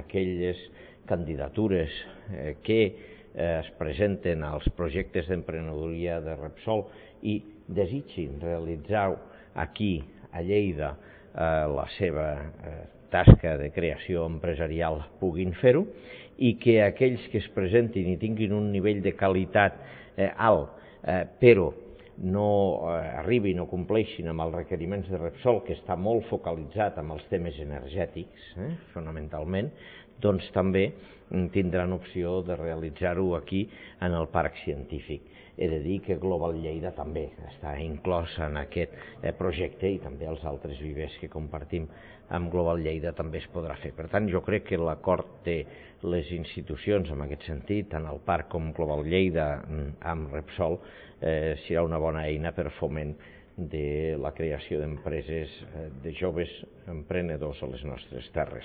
aquelles candidatures que es presenten als projectes d'emprenedoria de Repsol i desitgin realitzar aquí, a Lleida, la seva tasca de creació empresarial puguin fer-ho i que aquells que es presentin i tinguin un nivell de qualitat alt, però no arribin o compleixin amb els requeriments de Repsol, que està molt focalitzat en els temes energètics, fonamentalment, doncs també tindran opció de realitzar-ho aquí en el parc científic. He de dir que Global Lleida també està inclòs en aquest projecte i també els altres vivers que compartim amb Global Lleida també es podrà fer. Per tant, jo crec que l'acord de les institucions en aquest sentit, tant el parc com Global Lleida amb Repsol, serà una bona eina per foment de la creació d'empreses de joves emprenedors a les nostres terres.